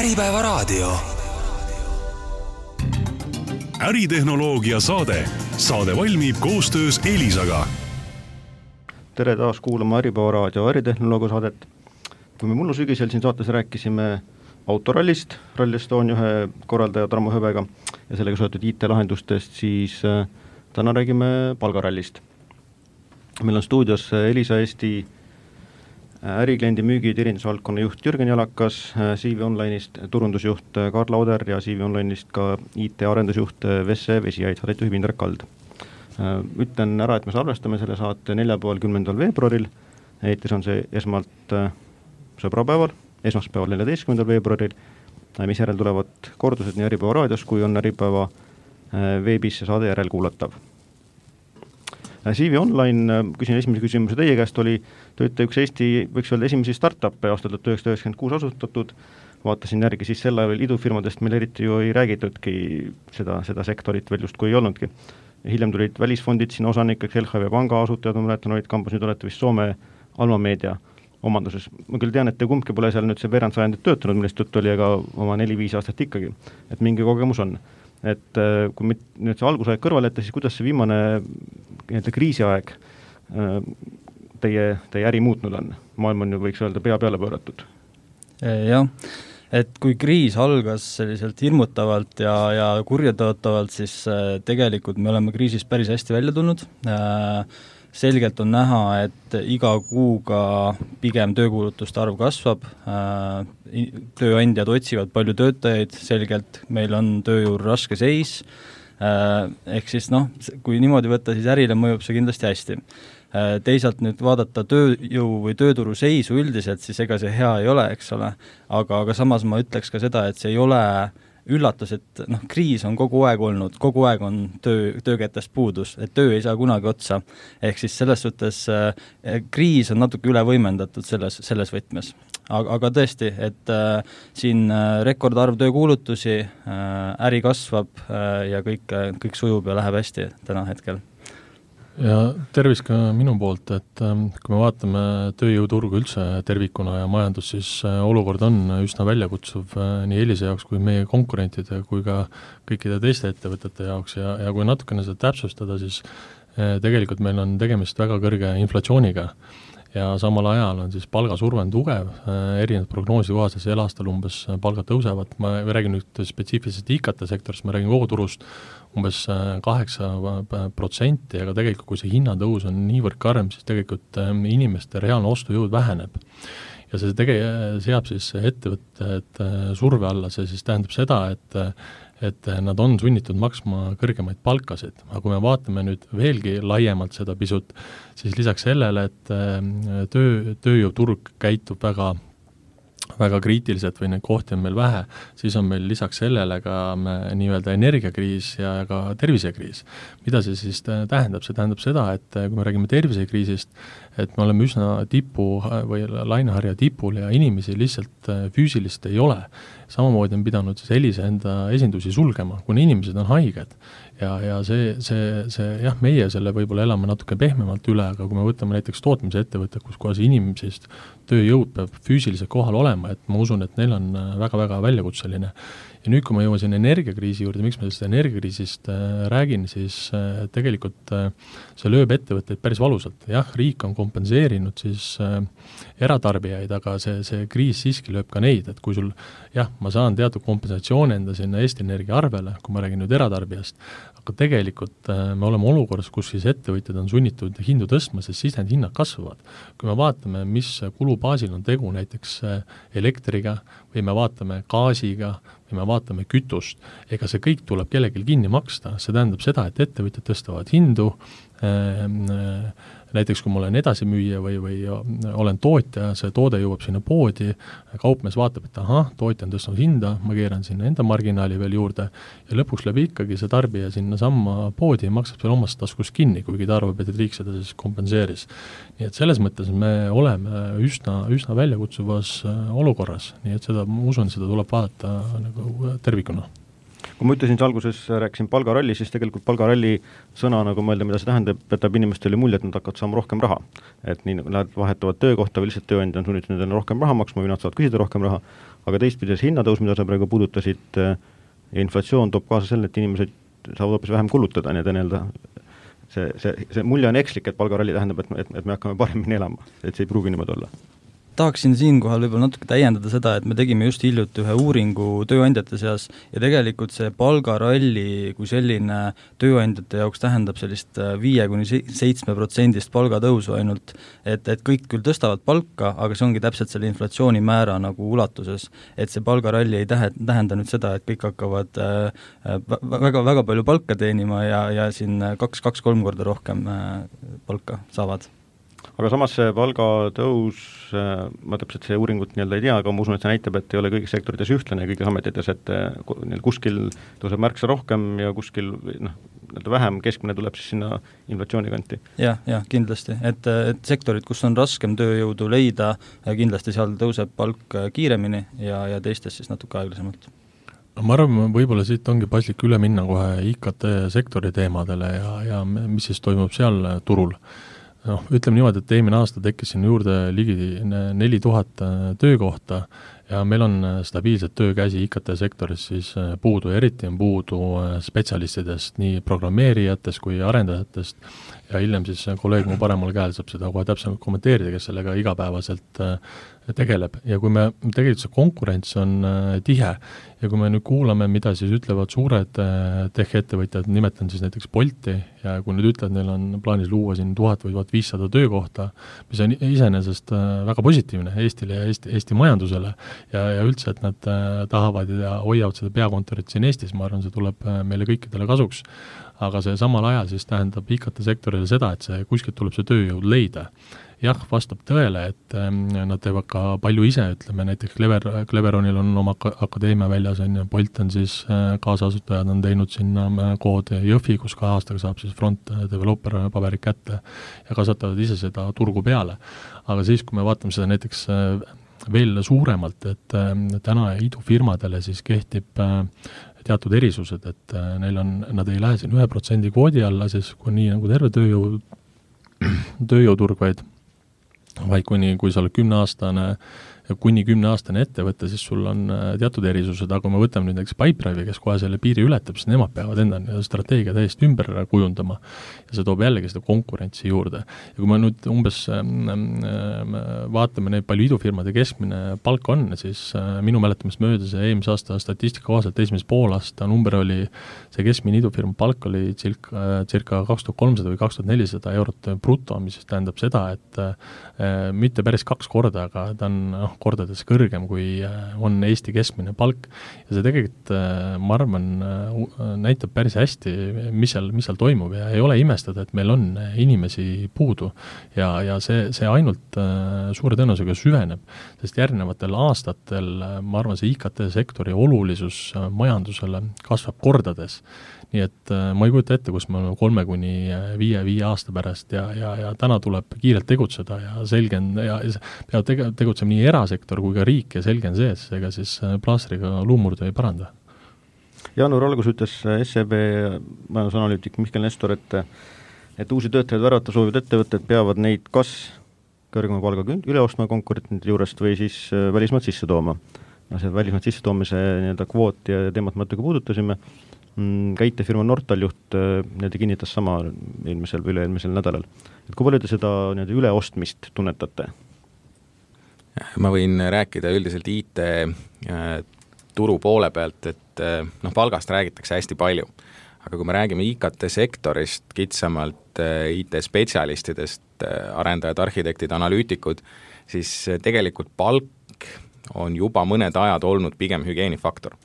Äripäevaraadio. Äritehnoloogia saade. Saade valmib koostöös Elisaga. Tere taas kuulama Äripäevaraadio äritehnoloogia saadet. Kui me mullu sügisel siin saates rääkisime autorallist, Rally Estonia ühe korraldaja Tarmo Hõbega ja sellega seotud IT-lahendustest, siis täna räägime palgarallist. Meil on stuudios Elisa Eesti ärikliendi müügi teenindusvaldkonna juht Jürgen Jalakas, CV Online'ist turundusjuht Karla Oder ja CV Online'ist ka IT-arendusjuht Vesse Vesiaid, saadet juhib Indrek Kald. Ütlen ära, et me salvestame selle saate 10. veebruaril, eetris on see esmalt sõbrapäeval, esmaspäeval 14. veebruaril, mis järel tulevad kordused nii Äripäeva raadios, kui on Äripäeva veebis see saade järel kuulatav. CV Online, küsin esimese küsimuse teie käest, te olite üks Eesti, võiks öelda, esimesi startup'e aastal 1996 asutatud, vaatasin järgi siis sel ajal idufirmadest meil eriti ju ei räägitudki seda sektorit veel just kui ei olnudki. Ja hiljem tulid välisfondid siin osanikeks, LHV Panga asutajad, ma mäletan, olid kampus, nüüd olete vist Soome Alma Meedia omanduses. Ma küll tean, et te kumbki pole seal nüüd see veerand sajandit töötanud, millest juttu oli, aga oma 4-5 aastat ikkagi, et mingi kogemus on. Et kui nüüd see algusaeg kõrval jätta, siis kuidas see viimane kriisiaeg teie äri muutnud on? Maailm on ju, võiks öelda, pea peale pööratud. Jah, et kui kriis algas selliselt hirmutavalt ja kurjatõotavalt, siis tegelikult me oleme kriisist päris hästi välja tulnud. Selgelt on näha, et iga kuuga pigem töökuulutuste arv kasvab, tööandjad otsivad palju töötajaid, selgelt meil on tööjõul raske seis, ehk siis kui niimoodi võtta, siis ärile mõjub see kindlasti hästi. Teisalt nüüd vaadata tööjõu või tööturu seisu üldiselt, siis ega see hea ei ole, eks ole, aga samas ma ütleks ka seda, et see ei ole üllatus, et kriis on kogu aeg olnud, kogu aeg on töökätest puudus, et töö ei saa kunagi otsa. Ehk siis selles suhtes kriis on natuke üle võimendatud selles võtmes. Aga tõesti, et siin rekordarv töökuulutusi, äri kasvab ja kõik sujub ja läheb hästi täna hetkel. Ja tervis ka minu poolt, et kui me vaatame tööjõuturgu üldse tervikuna ja majandus, siis olukord on üsna väljakutsuv nii Elisa jaoks kui meie konkurentide kui ka kõikide teiste ettevõtete jaoks ja kui natukene seda täpsustada, siis tegelikult meil on tegemist väga kõrge inflatsiooniga ja samal ajal on siis palgasurve on tugev, erinevad prognoosi kohaselt sel aastal umbes palgad tõusevad, ma räägin nüüd spetsiifiliselt IKT sektorist, ma räägin kogu turust umbes 8%, aga tegelikult kui see hinnatõus on niivõrd karm, siis tegelikult inimeste reaalne ostujõud väheneb. Ja see seab siis ettevõtted surve alla, see siis tähendab seda, et nad on sunnitud maksma kõrgemaid palkasid. Aga kui me vaatame nüüd veelgi laiemalt seda pisut, siis lisaks sellele, et tööjõuturg käitub väga kriitiliselt või neid kohti on meil vähe, siis on meil lisaks sellele ka nii-öelda energiakriis ja ka tervisekriis. Mida see siis tähendab? See tähendab seda, et kui me räägime tervisekriisist, et me oleme üsna tipu või laineharja tipul ja inimesi lihtsalt füüsilist ei ole. Samamoodi on pidanud siis Elisa enda esindusi sulgema, kuna inimesed on haiged. Ja see meie selle võib-olla elame natuke pehmemalt üle, aga kui me võtame näiteks tootmise ettevõtte, kus kohas inimesest tööjõud peab füüsiliselt kohal olema, et ma usun, et neil on väga-väga väljakutseline. Ja nüüd, kui ma jõuan siin energiakriisi juurde, miks ma sellest energiakriisist räägin, siis tegelikult see lööb ettevõtteid päris valusalt. Jah, riik on kompenseerinud siis eratarbijaid, aga see kriis siiski lööb ka neid, et kui sul, ma saan teatud kompensatsiooni enda sinna Eesti Energia arvele, kui ma räägin nüüd eratarbijast, aga tegelikult me oleme olukorras, kus siis ettevõtjad on sunnitud hindu tõstma, sest siis need hinnad kasvavad. Kui me vaatame, mis kulubaasil on tegu näiteks elektriga või me vaatame gaasiga või me vaatame kütust, ega see kõik tuleb kellelgi kinni maksta. See tähendab seda, et ettevõtjad tõstavad hindu, näiteks kui ma olen edasimüüja või olen tootja, see toode jõuab sinna poodi, kaupmees vaatab, et tootja on tõstnud hinda, ma keeran sinna enda marginaali veel juurde ja lõpuks läbi ikkagi see tarbija sinna samma poodi maksab seal omast taskust kinni, kuigi ta arvab, et riik seda siis kompenseeris. Nii et selles mõttes me oleme üsna väljakutsuvas olukorras, nii et ma usun, seda tuleb vaadata nagu tervikuna. kui ma ütlesin alguses, rääkisin palgaralli, siis tegelikult palgaralli sõna nagu mõelda, mida see tähendab, jätab inimestele mulje, et nad hakkavad saama rohkem raha. Et nii nad vahetavad töökohta või lihtsalt tööandja on sunnitud nendele rohkem raha maksma või nad saavad küsida rohkem raha, aga teistpides hinnatõus, mida sa praegu puudutasid, ja inflatsioon toob kaasa selle, et inimesed saavad hoopis vähem kulutada, nii et nii-öelda see mulje on ekslik, et palgaralli tähendab, et me hakkame paremini elama, et see ei pruugi niimoodi olla. Tahaksin siinkohal võib-olla natuke täiendada seda, et me tegime just hiljuti ühe uuringu tööandjate seas ja tegelikult see palgaralli kui selline tööandjate jaoks tähendab sellist 5-7% palgatõusu ainult, et kõik küll tõstavad palka, aga see ongi täpselt selle inflatsioonimäära nagu ulatuses, et see palgaralli ei tähenda nüüd seda, et kõik hakkavad väga palju palka teenima ja siin 2-3 korda rohkem palka saavad. Aga samas see palgatõus, ma täpselt see uuringut ei tea, aga ma usun, et see näitab, et ei ole kõigis sektorites ühtlane ja kõigis ametites, et kuskil tõuseb märksa rohkem ja kuskil vähem, keskmine tuleb siis sinna inflatsiooni kanti. Jah, kindlasti, et sektorid, kus on raskem tööjõudu leida, kindlasti seal tõuseb palk kiiremini ja teistes siis natuke aeglasemalt. Ma arvan, võib-olla siit ongi paslik üle minna kohe IKT sektori teemadele ja mis siis toimub seal turul. Ütleme niimoodi, et eelmine aasta tekkis siin juurde ligi 4000 töökohta ja meil on stabiilset töökäsi IKT sektoris siis puudu, eriti on puudu spetsialistidest, nii programmeerijatest kui arendajatest ja hiljem siis kolleeg mu paremal käel saab seda kohe täpselt kommenteerida, kes sellega igapäevaselt tegeleb ja kui me tegelikult see konkurents on tihe ja kui me nüüd kuulame, mida siis ütlevad suured tech-ettevõtjad, nimetan siis näiteks Bolti ja kui nüüd ütlevad, neil on plaanis luua siin 1000 või 1500 töökohta, mis on iseenesest väga positiivne Eestile ja Eesti majandusele ja üldse, et nad tahavad ja hoiavad seda peakontorit siin Eestis, ma arvan, see tuleb meile kõikidele kasuks, aga see samal ajal siis tähendab IKT sektorile seda, et see kuskilt tuleb see tööjõud leida. Jah, vastab tõele, et nad teevad ka palju ise, ütleme näiteks Cleveronil on oma akadeemia väljas, Bolt on siis kaasasutajad on teinud sinna kood Jõhvi, kus 2 aastaga saab siis front developer paberid kätte ja kasvatavad ise seda turgu peale. Aga siis, kui me vaatame seda näiteks veel suuremalt, et täna idufirmadele siis kehtib teatud erisused, et nad ei lähe siin 1% kvoodi alla, siis kui nii nagu terve tööjõuturg, vaid kui sa oled 10-aastane ja kuni 10-aastane ettevõte, siis sul on teatud erisused, aga kui me võtame nüüd näiteks Pipedrive'i, kes kohe selle piiri ületab, siis nemad peavad enda strateegia täiesti ümber kujundama ja see toob jällegi seda konkurentsi juurde. Ja kui me nüüd umbes vaatame neid palju idufirmade keskmine palk on, siis minu mäletamist mööda see eelmise aasta statistika kohaselt esimese poolaasta number oli, see keskmine idufirma palk oli circa 2300 või 2400 eurot bruto, mis tähendab seda, et mitte päris 2 korda, aga ta on kordades kõrgem, kui on Eesti keskmine palk. Ja see tegelikult, ma arvan, näitab päris hästi, mis seal toimub ja ei ole imestada, et meil on inimesi puudu ja see ainult suure tõenäosusega süveneb, sest järgnevatel aastatel, ma arvan, see IKT-sektori olulisus majandusele kasvab kordades. Nii et ma ei kujuta ette, kus me oleme 3-5 aasta pärast ja täna tuleb kiirelt tegutseda ja selge on, ja peab tegutsema nii erasektor kui ka riik ja selge on see, et ega siis plaastriga luumurdu ei paranda. Jaanuar algus ütles SEB majandusanalüütik Mihkel Nestor, et uusi töötajaid värvata soovivad ettevõtted peavad neid kas kõrgema palga üle ostma konkurentide juurest või siis välismaad sisse tooma. See välismaad sisse toomise kvoot ja teemat me natuke puudutasime. Ka IT-firma Nortal juht kinnitas sama eelmisel või üle-eelmisel nädalal. Et kui palju te seda üleostmist tunnetate? Ma võin rääkida üldiselt IT-turu poole pealt, et palgast räägitakse hästi palju. Aga kui me räägime IKT-sektorist, kitsamalt IT-spetsialistidest, arendajad, arhitektid, analüütikud, siis tegelikult palk on juba mõned ajad olnud pigem hygieenifaktor.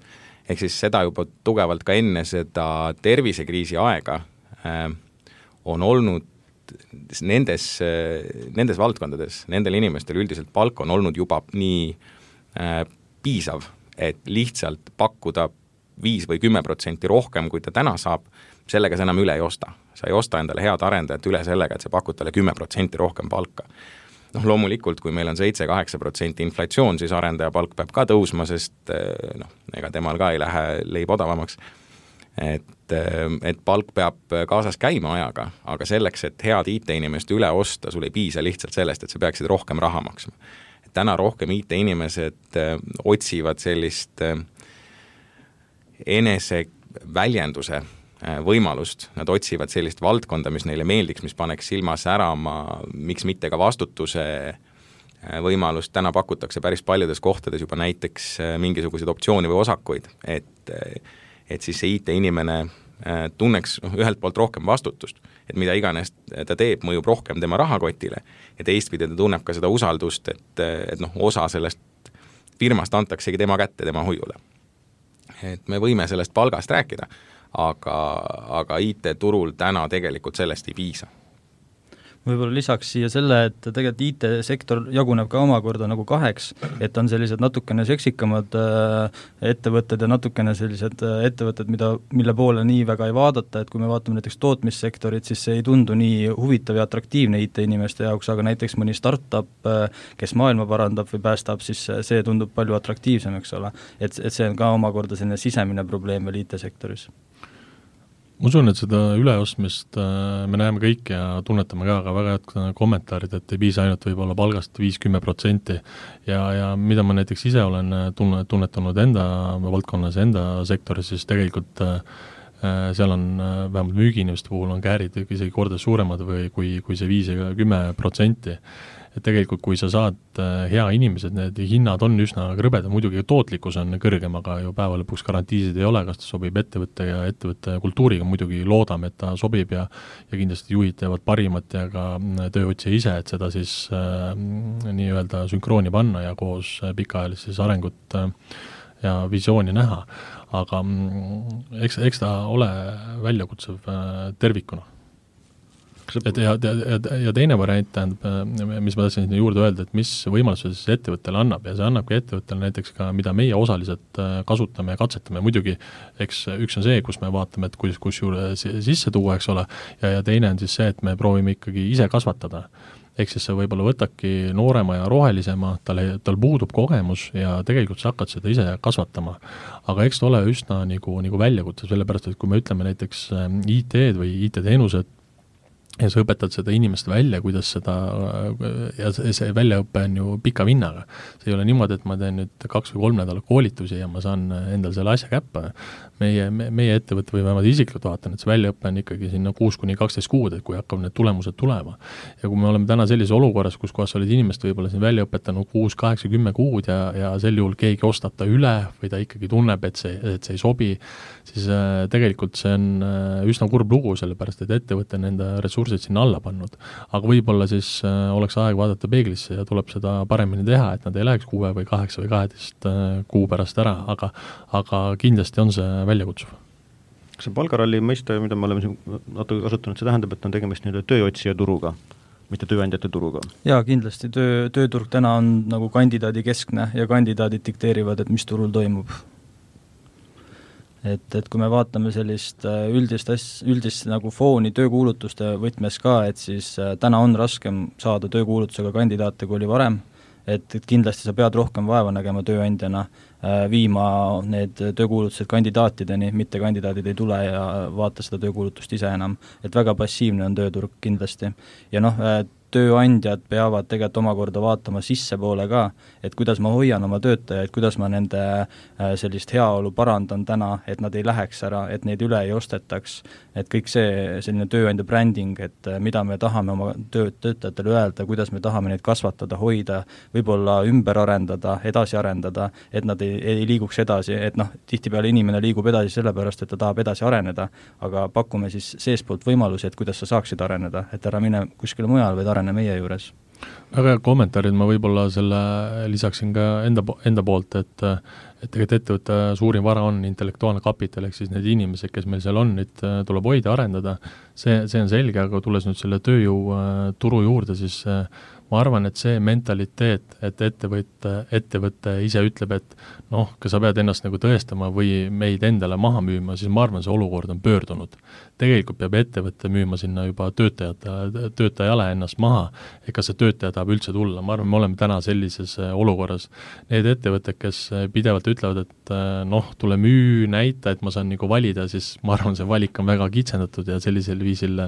Ehk siis seda juba tugevalt ka enne seda tervisekriisi aega on olnud nendes valdkondades, nendel inimestel üldiselt palk on olnud juba nii piisav, et lihtsalt pakkuda 5 või 10% rohkem, kui ta täna saab, sellega sa enam üle ei osta. Sa ei osta endale head arendajat üle sellega, et sa pakud talle 10% rohkem palka. Loomulikult, kui meil on 7-8% inflatsioon, siis arendaja palk peab ka tõusma, sest ega temal ka ei lähe leib odavamaks. et palk peab kaasas käima ajaga, aga selleks, et head IT-inimest üle osta, sul ei piisa lihtsalt sellest, et sa peaksid rohkem raha maksma. Et täna rohkem IT-inimesed otsivad sellist eneseväljenduse võimalust, nad otsivad sellist valdkonda, mis neile meeldiks, mis paneks silma särama, miks mitte ka vastutuse võimalust. Täna pakutakse päris paljudes kohtades juba näiteks mingisuguseid optsioone või osakuid, et siis see IT-inimene tunneks ühelt poolt rohkem vastutust, et mida iganes ta teeb, mõjub rohkem tema rahakotile ja teistpidi ta tunneb ka seda usaldust, et osa sellest firmast antaksegi tema kätte, tema hoiule. Et me võime sellest palgast rääkida, aga IT-turul täna tegelikult sellest ei piisa. Võib-olla lisaks siia selle, et tegelikult IT-sektor jaguneb ka omakorda nagu kaheks, et on sellised natukene seksikamad ettevõtted ja natukene sellised ettevõtted, mille poole nii väga ei vaadata, et kui me vaatame näiteks tootmissektorit, siis see ei tundu nii huvitav ja atraktiivne IT-inimeste jaoks, aga näiteks mõni startup, kes maailma parandab või päästab, siis see tundub palju atraktiivsem, eks ole. Et see on ka omakorda selline sisemine probleem veel IT-sektoris. Ma usun, et seda üleostmist me näeme kõik ja tunnetame ka väga head kommentaarid, et ei piisa ainult võib-olla palgast 5-10% ja mida ma näiteks ise olen tunnetanud enda valdkonnas, enda sektoris, siis tegelikult seal on vähemalt müügiinimeste puhul on käärid isegi kordades suuremad või kui see 5-10%. Et tegelikult kui sa saad hea inimesed, need hinnad on üsna krõbed, muidugi tootlikkus on kõrgem, aga ju päeva lõpuks garantiisid ei ole, kas ta sobib ettevõtte ja ettevõtte kultuuriga, muidugi loodame, et ta sobib ja kindlasti juhid teevad parimat ja ka tööotsija ise, et seda siis nii-öelda sünkrooni panna ja koos pikaajalist arengut ja visiooni näha. Aga eks ta ole väljakutsev tervikuna. Ja teine variant tähendab, mis ma tahtsin juurde öelda, et mis võimalused siis ettevõttele annab ja see annabki ettevõttele näiteks ka, mida meie osaliselt kasutame ja katsetame. Muidugi, eks üks on see, kus me vaatame, et kus juurde sisse tuua, eks ole, ja teine on siis see, et me proovime ikkagi ise kasvatada. Ehk siis sa võib-olla võtadki noorema ja rohelisema, tal puudub kogemus ja tegelikult sa hakkad seda ise kasvatama. Aga eks ta ole üsna nagu väljakutse, sellepärast, et kui me ütleme näiteks IT-d või IT-teenused, ja sa õpetad seda inimest välja, kuidas seda, ja see väljaõpe on ju pika vinnaga. See ei ole niimoodi, et ma teen nüüd 2 või 3 nädalat koolitusi ja ma saan endal selle asja käppe. Meie ettevõtte või vähemalt isiklikult vaatan, et see väljaõpe on ikkagi sinna 6-12 kuud, et kui hakkab need tulemused tulema. Ja kui me oleme täna sellises olukorras, kus kohas olid inimest võib-olla siin väljaõpetanud 6, 8, 10 kuud ja sel juhul keegi ostab ta üle või ta ikkagi tunneb, et see ei sobi, siis tegelikult see on üsna kurb lugu, sellepärast et ettevõte on enda ressursid sinna alla pannud. Aga võib-olla siis oleks aeg vaadata peeglisse ja tuleb seda paremini teha, et nad ei läheks 6 või 8 või 12 kuu pärast ära, aga kindlasti on see väljakutsuv. See palgaralli mõiste, mida me oleme natuke kasutanud, see tähendab, et on tegemist tööotsija turuga, mitte tööandjate turuga. Jaa, kindlasti. Tööturg täna on nagu kandidaadi keskne ja kandidaadid dikteerivad, et mis turul toimub. Et kui me vaatame sellist üldist nagu fooni töökuulutuste võtmes ka, et siis täna on raskem saada töökuulutusega kandidaate, kui oli varem, et kindlasti sa pead rohkem vaeva nägema tööandjana, viima need töökuulutused kandidaatideni, mitte kandidaadid ei tule ja vaata seda töökuulutust ise enam. Et väga passiivne on tööturg kindlasti. Ja tööandjad peavad tegelikult omakorda vaatama sissepoole ka, et kuidas ma hoian oma töötajaid, kuidas ma nende sellist heaolu parandan täna, et nad ei läheks ära, et neid üle ei ostetaks, et kõik see selline tööandja bränding, et mida me tahame oma töötajatele öelda, kuidas me tahame neid kasvatada, hoida, võib-olla ümber arendada, edasi arendada, et nad ei liiguks edasi, et tihtipeale inimene liigub edasi sellepärast, et ta tahab edasi areneda, aga pakume siis seespoolt võimalusi, et kuidas sa saaksid areneda, et ära mine kuskile mujal, või arene meie juures. Väga kommentaarid ma võib-olla selle lisaksin ka enda poolt, et tegelikult ettevõtte suurim vara on intellektuaalne kapital, ehk siis need inimesed, kes meil seal on, nüüd tuleb hoida, arendada, see on selge, aga tulles nüüd selle tööjõu turu juurde, siis ma arvan, et see mentaliteet, et ettevõte ise ütleb, et kas sa pead ennast nagu tõestama või meid endale maha müüma, siis ma arvan, see olukord on pöördunud. Tegelikult peab ettevõtte müüma sinna juba töötajale ennast maha, et kas see töötaja tahab üldse tulla. Ma arvan, me oleme täna sellises olukorras. Need ettevõtted, kes pidevalt ütlevad, et tule müü, näita, et ma saan nagu valida, siis ma arvan, see valik on väga kitsendatud ja sellisel viisil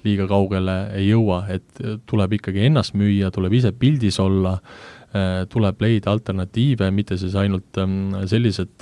liiga kaugele ei jõua, et tuleb ikkagi ennast müüa, tuleb ise pildis olla, tuleb leida alternatiive, mitte siis ainult sellised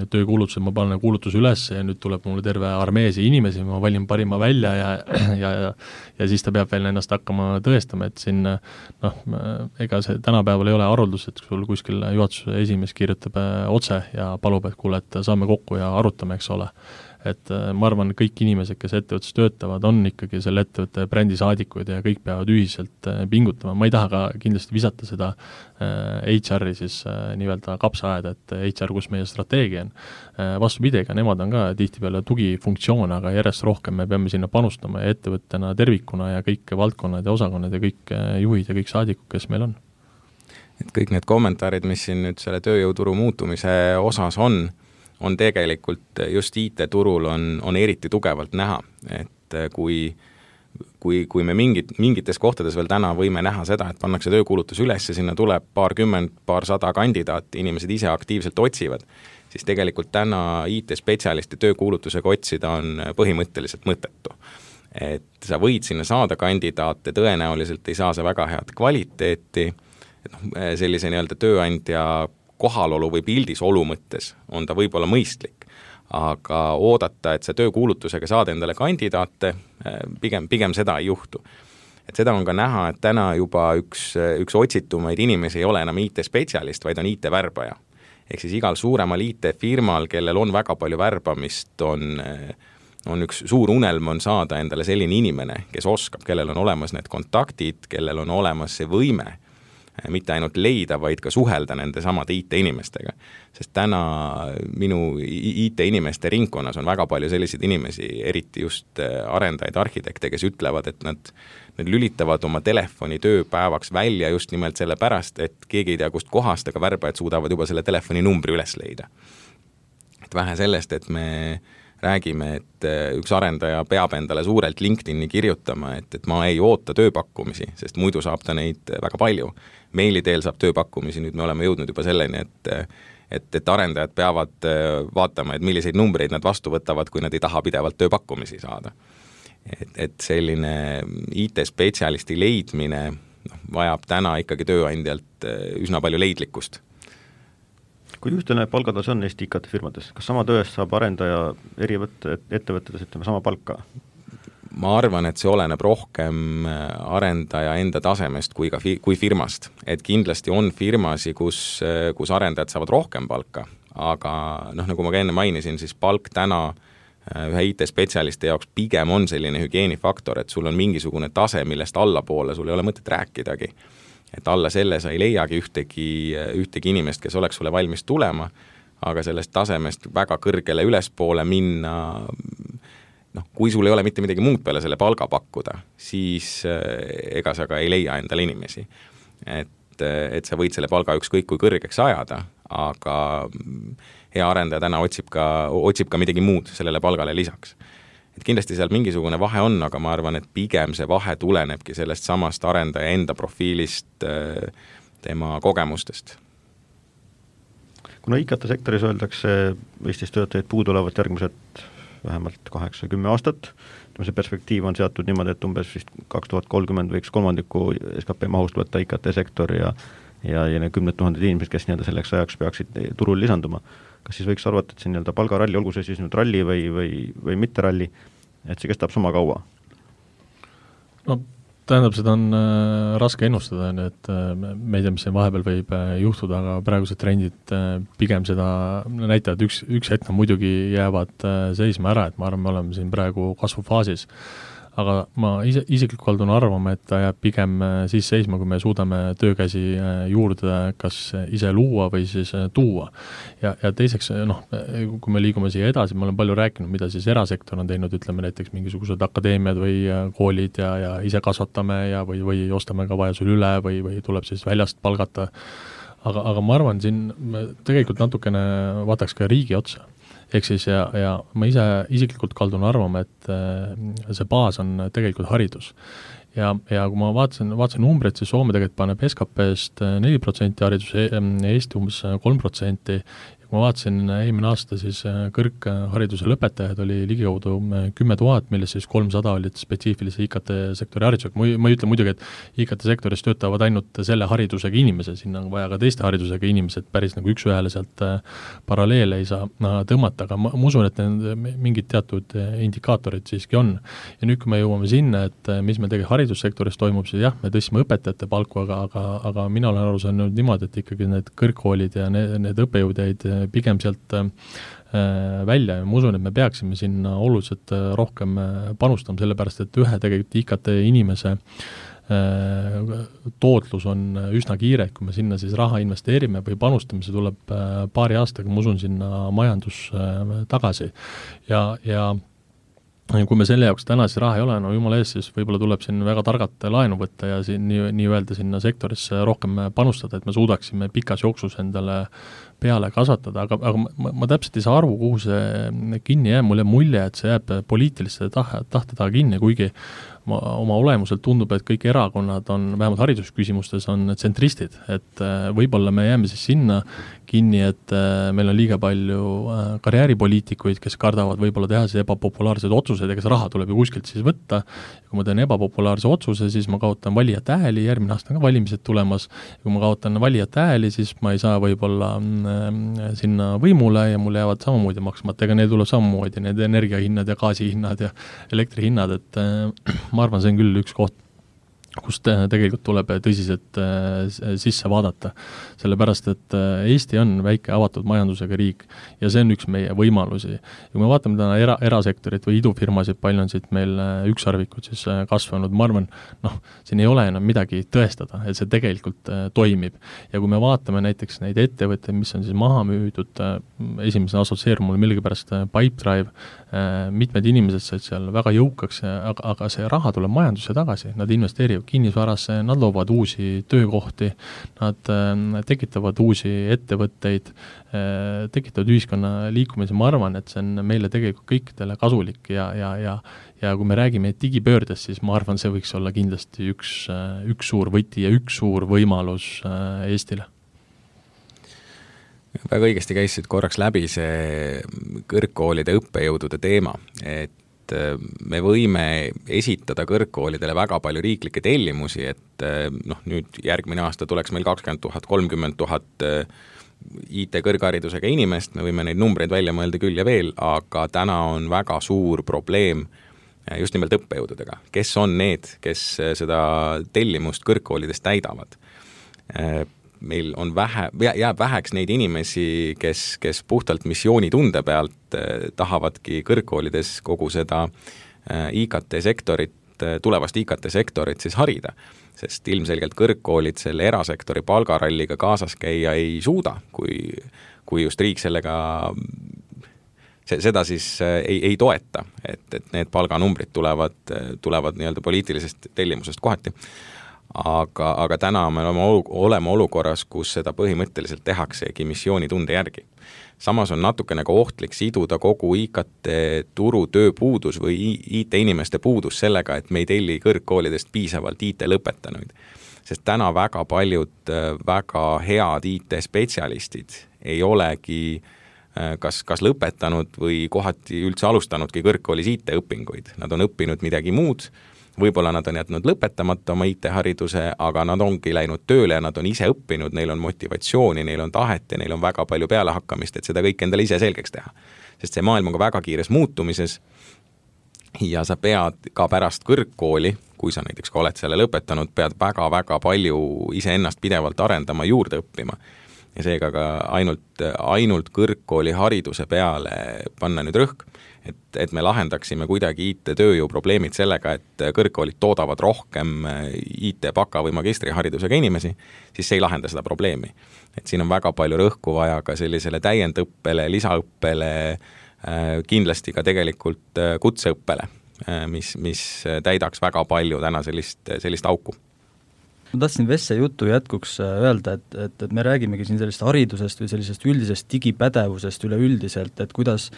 töökuulutused, ma panen kuulutuse üles ja nüüd tuleb mulle terve armeesi inimesi, ma valin parima välja ja siis ta peab veel ennast hakkama tõestama, et siin ega see tänapäeval ei ole haruldus, et sul kuskil juhatuse esimees kirjutab otse ja palub, et kuule, et saame kokku ja arutame, eks ole. Et ma arvan, kõik inimesed, kes ettevõttes töötavad, on ikkagi selle ettevõtte brändisaadikuid ja kõik peavad ühiselt pingutama. Ma ei taha ka kindlasti visata seda HR-i siis nii-öelda kapsaaeda, et HR, kus meie strateegia on. Vastupidi, ega nemad on ka tihtipeale tugifunktsioon, aga järjest rohkem me peame sinna panustama ja ettevõttena tervikuna ja kõik valdkonnad ja osakonnad ja kõik juhid ja kõik saadikud, kes meil on. Et kõik need kommentaarid, mis siin nüüd selle tööjõuturu muutumise osas on tegelikult just IT-turul on eriti tugevalt näha, et kui me mingites kohtades veel täna võime näha seda, et pannakse töökuulutus üles ja sinna tuleb paarsada kandidaati, inimesed ise aktiivselt otsivad, siis tegelikult täna IT-spetsialisti töökuulutusega otsida on põhimõtteliselt mõttetu. Et sa võid sinna saada kandidaate, tõenäoliselt ei saa see väga head kvaliteeti, et sellise nii-öelda tööandja kohalolu või pildis olu mõttes on ta võib-olla mõistlik, aga oodata, et see töökuulutusega saada endale kandidaate, pigem seda ei juhtu. Et seda on ka näha, et täna juba üks otsitumaid inimesi ei ole enam IT-spetsialist, vaid on IT-värbaja. Ehk siis igal suuremal IT-firmal, kellel on väga palju värbamist, on üks suur unelm on saada endale selline inimene, kes oskab, kellel on olemas need kontaktid, kellel on olemas see võime, mitte ainult leida, vaid ka suhelda nende samade IT-inimestega. Sest täna minu IT-inimeste ringkonnas on väga palju selliseid inimesi, eriti just arendajaid, arhitekte, kes ütlevad, et nad lülitavad oma telefoni tööpäevaks välja just nimelt selle pärast, et keegi ei tea, kust kohast, aga värbajad suudavad juba selle telefoni numbri üles leida. Et vähe sellest, et me räägime, et üks arendaja peab endale suurelt LinkedIni kirjutama, et ma ei oota tööpakkumisi, sest muidu saab ta neid väga palju. Meili teel saab tööpakkumisi, nüüd me oleme jõudnud juba selleni, et arendajad peavad vaatama, et milliseid numbreid nad vastu võtavad, kui nad ei taha pidevalt tööpakkumisi saada. Et selline IT-spetsialisti leidmine vajab täna ikkagi tööandjalt üsna palju leidlikkust. Kui ühtene palgatase on Eesti IKT-firmades, kas sama tööst saab arendaja eri ettevõtetes sama palka? Ma arvan, et see oleneb rohkem arendaja enda tasemest kui firmast. Et kindlasti on firmasi, kus arendajad saavad rohkem palka, aga nagu ma ka enne mainisin, siis palk täna ühe IT-spetsialisti jaoks pigem on selline hügieenifaktor, et sul on mingisugune tase, millest allapoole sul ei ole mõtet rääkidagi. Et alla selle sa ei leiagi ühtegi inimest, kes oleks sulle valmis tulema, aga sellest tasemest väga kõrgele ülespoole minna, kui sul ei ole mitte midagi muud peale selle palga pakkuda, siis ega sa ka ei leia endale inimesi. Et sa võid selle palga ükskõik kui kõrgeks ajada, aga hea arendaja täna otsib ka midagi muud sellele palgale lisaks. Et kindlasti seal mingisugune vahe on, aga ma arvan, et pigem see vahe tulenebki sellest samast arendaja enda profiilist, tema kogemustest. Kuna IKT-sektoris öeldakse Eestis töötajaid puudu olevat järgmised vähemalt 8-10 aastat, see perspektiiv on seatud niimoodi, et umbes 2030 võiks kolmandiku SKP mahust võtta IKT-sektor ja 10 000 inimesed, kes selleks ajaks peaksid turul lisanduma. Kas siis võiks arvata, et see palgaralli, olgu see siis nüüd ralli või mitte ralli, et see kestab sama kaua? Tähendab, seda on raske ennustada, et me ei tea, mis see vahepeal võib juhtuda, aga praegused trendid pigem seda näitavad, üks hetk muidugi jäävad seisma ära, et ma arvan, me oleme siin praegu kasvufaasis. aga ma isiklikult kaldun arvama, et ta jääb pigem siis seisma, kui me suudame töökäsi juurde kas ise luua või siis tuua. Ja teiseks, kui me liigume siia edasi, ma olen palju rääkinud, mida siis erasektor on teinud, ütleme näiteks mingisugused akadeemiad või koolid ja ise kasvatame ja või ostame ka vajadusel üle või tuleb siis väljast palgata. Aga ma arvan, siin tegelikult natukene vaataks ka riigi otsa. Ehk siis ja ma isiklikult kaldun arvama, et see baas on tegelikult haridus. Ja kui ma vaatasin numbreid, siis Soome tegelikult paneb SKP-st 4% hariduse, Eesti umbes 3%. Kui ma vaatasin eelmine aasta, siis kõrghariduse lõpetajaid oli ligikaudu 10 000, millest siis 300 olid spetsiifilise IKT-sektori haridusega. Ma ei ütle muidugi, et IKT-sektoris töötavad ainult selle haridusega inimese, sinna on vaja ka teiste haridusega inimesed, päris nagu üks ühele sealt paralleele ei saa tõmmata, aga ma usun, et mingid teatud indikaatorid siiski on. Ja nüüd, kui me jõuame sinna, et mis me tegelikult haridussektoris toimub, siis jah, me tõstsime õpetajate palku, aga mina olen aru saanud niimoodi, et ikkagi need kõrgkoolid ja need õppejõud jäid pigem sealt välja ja ma usun, et me peaksime sinna oluliselt rohkem panustama, sellepärast et ühe tegelikult IKT inimese tootlus on üsna kiire, kui me sinna siis raha investeerime või panustame, see tuleb paari aastaga, ma usun, sinna majandus tagasi ja kui me selle jaoks täna siis raha ei ole, no jumala ees, siis võib-olla tuleb siin väga targalt laenu võtta ja siin nii öelda sinna sektorisse rohkem panustada, et me suudaksime pikas jooksus endale peale kasvatada, aga ma täpselt ei saa aru, kuhu see kinni jääb, mulle mulje, et see jääb poliitiliste tahte taha kinni, kuigi oma olemuselt tundub, et kõik erakonnad on, vähemalt haridusküsimustes on tsentristid, et võib-olla me jääme siis sinna kinni, et meil on liiga palju karjääripoliitikuid, kes kardavad võib-olla teha siis ebapopulaarsed otsused, ega see raha tuleb ju kuskilt siis võtta, ja kui ma teen ebapopulaarse otsuse, siis ma kaotan valijate hääli, järgmine aasta on ka valimised tulemas, ja kui ma kaotan valijate hääli, siis ma ei saa võib-olla sinna võimule ja mul jäävad samamoodi maksmata, ega neil tuleb samamoodi need energiahinnad ja gaasihinnad ja elektrihinnad, et ma arvan, see on küll üks koht, kust tegelikult tuleb tõsiselt sisse vaadata, sellepärast, et Eesti on väike avatud majandusega riik ja see on üks meie võimalusi. Ja kui me vaatame täna erasektorit või idufirmasid, palju on siit meil ükssarvikud siis kasvanud, ma arvan, siin ei ole enam midagi tõestada, et see tegelikult toimib. Ja kui me vaatame näiteks neid ettevõtteid, mis on siis maha müüdud, esimesena assotsieerum mul millegipärast Pipedrive, mitmed inimesed said seal väga jõukaks, aga see raha tuleb majandusse tagasi, nad investeerivad kinnisvarasse, nad loovad uusi töökohti, nad tekitavad uusi ettevõtteid, tekitavad ühiskonna liikumise, ma arvan, et see on meile tegelikult kõikidele kasulik ja kui me räägime digipöördest, siis ma arvan, see võiks olla kindlasti üks suur võti ja üks suur võimalus Eestile. Väga õigesti käisid korraks läbi see kõrgkoolide õppejõudude teema, et me võime esitada kõrgkoolidele väga palju riiklikke tellimusi, et nüüd järgmine aasta tuleks meil 20 000, 30 000 IT-kõrgharidusega inimest, me võime neid numbreid välja mõelda küll ja veel, aga täna on väga suur probleem just nimelt õppejõududega. Kes on need, kes seda tellimust kõrgkoolidest täidavad? Meil on jääb väheks neid inimesi, kes puhtalt missioonitunde pealt tahavadki kõrgkoolides kogu seda IKT-sektorit, tulevast IKT-sektorit siis harida, sest ilmselgelt kõrgkoolid selle erasektori palgaralliga kaasas käia ei suuda, kui just riik sellega seda siis ei toeta, et need palganumbrid tulevad nii-öelda poliitilisest tellimusest kohati. Aga täna me oleme olukorras, kus seda põhimõtteliselt tehaksegi missioonitunde järgi. Samas on natukene ka ohtlik siduda kogu IKT-turu tööpuudus või IT-inimeste puudus sellega, et me ei telli kõrgkoolidest piisavalt IT-lõpetanuid. Sest täna väga paljud väga head IT-spetsialistid ei olegi kas lõpetanud või kohati üldse alustanudki kõrgkoolis IT-õpinguid. Nad on õppinud midagi muud, võib-olla nad on jätnud lõpetamata oma IT-hariduse, aga nad ongi läinud tööle ja nad on ise õppinud, neil on motivatsiooni, neil on tahet ja neil on väga palju pealehakkamist, et seda kõik endale ise selgeks teha. Sest see maailm on ka väga kiires muutumises ja sa pead ka pärast kõrgkooli, kui sa näiteks ka oled selle lõpetanud, pead väga-väga palju iseennast pidevalt arendama, juurde õppima. Ja seega ka ainult kõrgkooli hariduse peale panna nüüd rõhk, et me lahendaksime kuidagi IT-tööjõu probleemid sellega, et kõrgkoolid toodavad rohkem IT-baka- või magistriharidusega inimesi, siis see ei lahenda seda probleemi. Et siin on väga palju rõhku vaja ka sellisele täiendõppele, lisaõppele, kindlasti ka tegelikult kutseõppele, mis täidaks väga palju täna sellist auku. Ma tahtsin Vesse jutu jätkuks öelda, et me räägimegi siin sellest haridusest või sellisest üldisest digipädevusest üleüldiselt, et kuidas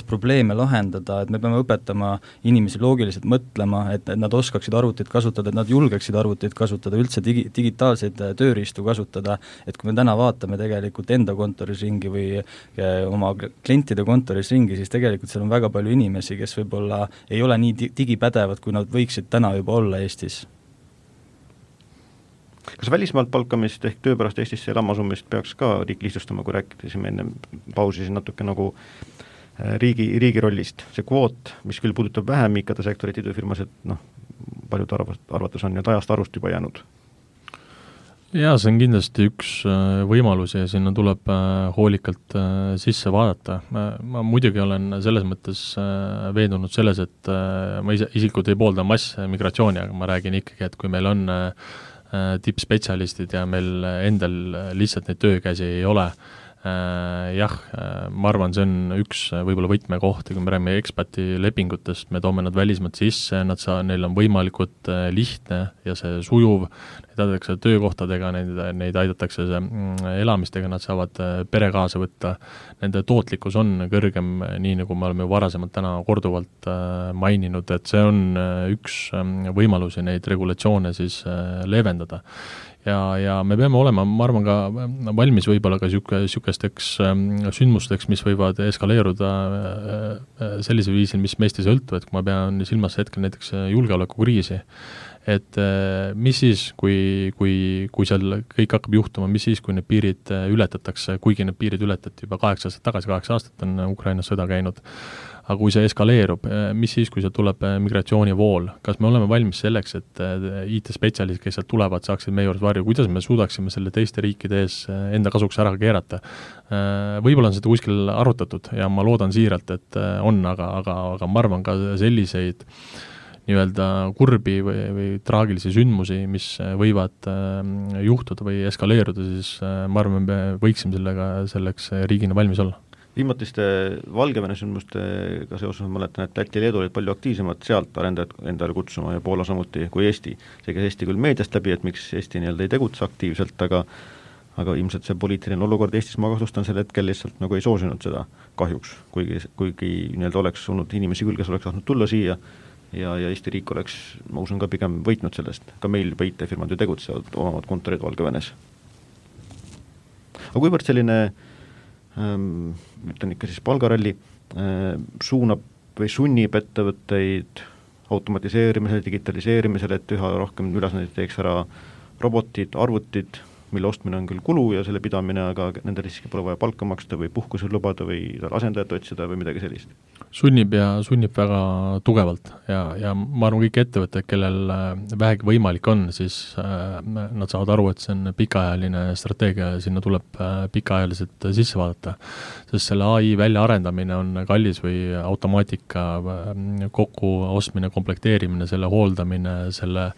probleeme lahendada, et me peame õpetama inimesi loogiliselt mõtlema, et nad oskaksid arvutit kasutada, et nad julgeksid arvutit kasutada, üldse digitaalseid tööriistu kasutada, et kui me täna vaatame tegelikult enda kontoris ringi või oma klientide kontoris ringi, siis tegelikult seal on väga palju inimesi, kes võib-olla ei ole nii digipädevad, kui nad võiksid täna juba olla Eestis. Kas välismaalt palkamist ehk töö pärast Eestisse elama asumist peaks ka riik lihtsustama, kui rääkisime enne pausi natuke nagu riigi rollist? See kvoot, mis küll puudutab vähem IKT sektorit idufirmas, et paljud arvates on nüüd ajast arust juba jäänud? Jaa, see on kindlasti üks võimalus ja sinna tuleb hoolikalt sisse vaadata. Ma muidugi olen selles mõttes veendunud selles, et ma isikut ei poolda massmigratsiooni, aga ma räägin ikkagi, et kui meil on tippspetsialistid ja meil endal lihtsalt neid töökäsi ei ole. Ma arvan, see on üks võib-olla võtmekoht, kui me räägime ekspati lepingutest, me toome nad välismaalt sisse, neil on võimalikult lihtne ja see sujuv, neid aidatakse töökohtadega, neid aidatakse elamistega, nad saavad pere kaasa võtta, nende tootlikkus on kõrgem, nii nagu me oleme varasemalt täna korduvalt maininud, et see on üks võimalusi neid regulatsioone siis leevendada. Ja me peame olema, ma arvan, ka valmis võib-olla ka sükesteks sündmusteks, mis võivad eskaleeruda sellise viisil, mis meist ei sõltu, et kui ma pean silmas hetkel näiteks julgeolekukriisi, et mis siis, kui seal kõik hakkab juhtuma, mis siis, kui need piirid ületatakse, kuigi need piirid ületati juba 8 aastat tagasi, 8 aastat on Ukrainas sõda käinud, aga kui see eskaleerub, mis siis, kui see tuleb migratsioonivool? Kas me oleme valmis selleks, et IT-spetsialistid, kes sealt tulevad, saaksid meie juures varju? Kuidas me suudaksime selle teiste riikide ees enda kasuks ära keerata? Võib-olla on seda kuskil arutatud ja ma loodan siiralt, et on, aga ma arvan ka selliseid nii-öelda kurbi või traagilisi sündmusi, mis võivad juhtuda või eskaleeruda, siis ma arvan, me võiksime selleks riigina valmis olla. Viimatiste Valgevene sündmustega seoses ma mäletan, et Läti ja Leedu olid palju aktiivsemad sealt arendajad endale kutsuma ja Poola samuti kui Eesti. See käis Eesti küll meediast läbi, et miks Eesti nii-öelda ei tegutse aktiivselt, aga ilmselt see poliitiline olukord Eestis, ma kahtlustan sel hetkel lihtsalt nagu ei soosinud seda kahjuks, kuigi nii-öelda oleks olnud inimesi küll, kes oleks tahtnud tulla siia ja Eesti riik oleks, ma usun, ka pigem võitnud sellest. Ka meil juba IT-firmad ju tegutsevad, omavad kontorid Valgevenes. Aga kuivõrd selline ütlen ikka siis palgaralli, suunab või sunnib ettevõtteid automatiseerimisele, digitaliseerimisele, et üha rohkem ülesandeid teeks ära robotid, arvutid, mille ostmine on küll kulu ja selle pidamine, aga nende riski pole vaja palka maksta või puhkusel lubada või asendajat otsida või midagi sellist. Sunnib väga tugevalt ja ma arvan, kõik ettevõtted, kellel vähegi võimalik on, siis nad saavad aru, et see on pikaajaline strateegia ja sinna tuleb pikaajaliselt sisse vaadata. Sest selle AI väljaarendamine on kallis või automaatika kokku ostmine, komplekteerimine, selle hooldamine, selle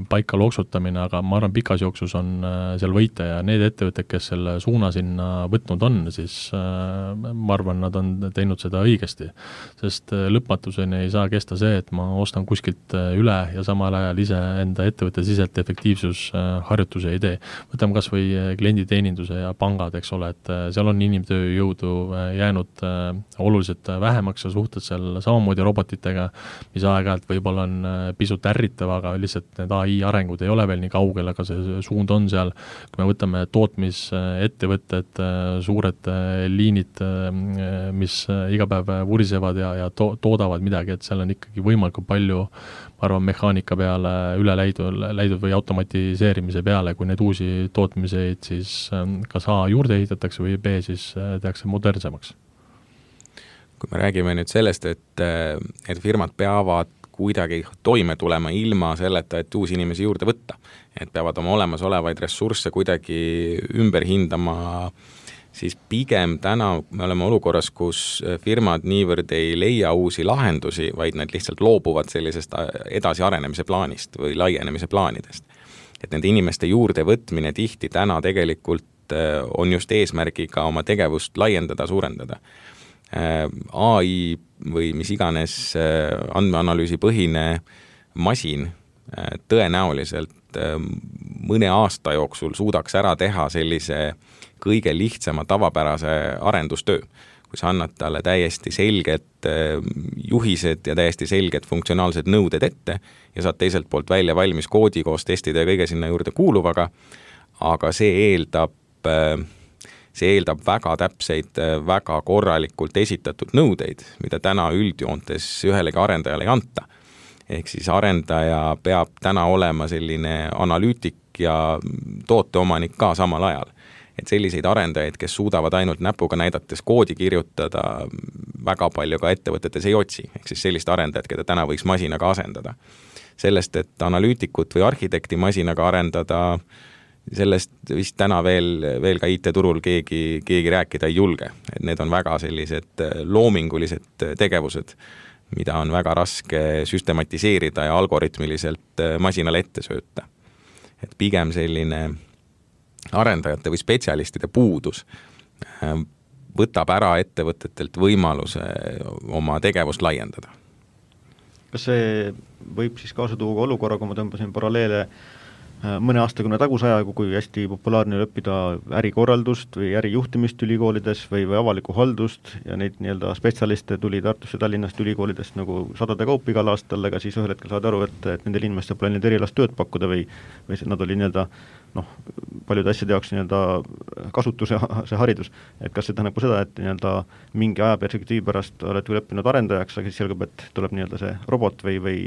paika loksutamine, aga ma arvan, pikas jooksus on seal võita ja need ettevõtted, kes selle suuna sinna võtnud on, siis ma arvan, nad on teinud seda õigesti. Sest lõpmatuseni ei saa kesta see, et ma ostan kuskilt üle ja samal ajal ise enda ettevõtte siselt efektiivsusharjutuse ei tee. Võtame kas või klienditeeninduse ja pangad, eks ole, et seal on inimtööjõudu jäänud oluliselt vähemaks ja suhted seal samamoodi robotitega, mis aeg-ajalt võib-olla on pisut ärritav, aga lihtsalt need AI arengud ei ole veel nii kaugel, aga see suund on seal. Kui me võtame tootmisettevõtted, suured liinid, mis iga päev vurisevad ja toodavad midagi, et seal on ikkagi võimalikult palju, ma arvan, mehaanika peale üle läidud või automatiseerimise peale, kui need uusi tootmiseid siis kas A juurde ehitatakse või B siis tehakse modernsemaks. Kui me räägime nüüd sellest, et firmad peavad kuidagi toime tulema ilma selleta, et uusi inimesi juurde võtta. Et peavad oma olemasolevaid ressursse kuidagi ümber hindama, siis pigem täna me oleme olukorras, kus firmad niivõrd ei leia uusi lahendusi, vaid nad lihtsalt loobuvad sellisest edasiarenemise plaanist või laienemise plaanidest. Et nende inimeste juurde võtmine tihti täna tegelikult on just eesmärgiga oma tegevust laiendada, suurendada. AI või mis iganes andmeanalüüsi põhine masin tõenäoliselt mõne aasta jooksul suudaks ära teha sellise kõige lihtsama tavapärase arendustöö. Kui sa annad talle täiesti selged juhised ja täiesti selged funktsionaalsed nõuded ette ja saad teiselt poolt välja valmis koodi koos testide ja kõige sinna juurde kuuluvaga, aga see eeldab väga täpseid, väga korralikult esitatud nõudeid, mida täna üldjoontes ühelegi arendajale ei anta. Ehk siis arendaja peab täna olema selline analüütik ja tooteomanik ka samal ajal. Et selliseid arendajaid, kes suudavad ainult näpuga näidates koodi kirjutada, väga palju ka ettevõtetes ei otsi. Ehk siis sellist arendajat, keda täna võiks masinaga asendada. Sellest, et analüütikut või arhitekti masinaga arendada, sellest vist täna veel ka IT-turul keegi rääkida ei julge. Et need on väga sellised loomingulised tegevused, mida on väga raske süstematiseerida ja algoritmiliselt masinale ette sööta. Et pigem selline arendajate või spetsialistide puudus võtab ära ettevõtetelt võimaluse oma tegevust laiendada. Kas see võib siis kaasa tuua olukorra, kui ma tõmbasin paralleele mõne aastakümne taguse ajaga, kui hästi populaarne õppida ärikorraldust või ärijuhtimist ülikoolides või avalikku haldust ja neid nii-öelda spetsialiste tuli Tartusse Tallinnast ülikoolidest nagu sadade kaupa igal aastal, aga siis ühel hetkel saad aru, et nendel inimestel pole neid erilast tööd pakkuda või nad oli nii-öelda paljude asjade jaoks nii-öelda kasutuse see haridus. Et kas see tähendab seda, et nii-öelda mingi ajaperspektiivi pärast oled küll õppinud arendajaks, aga siis selgub, et tuleb nii-öelda see robot või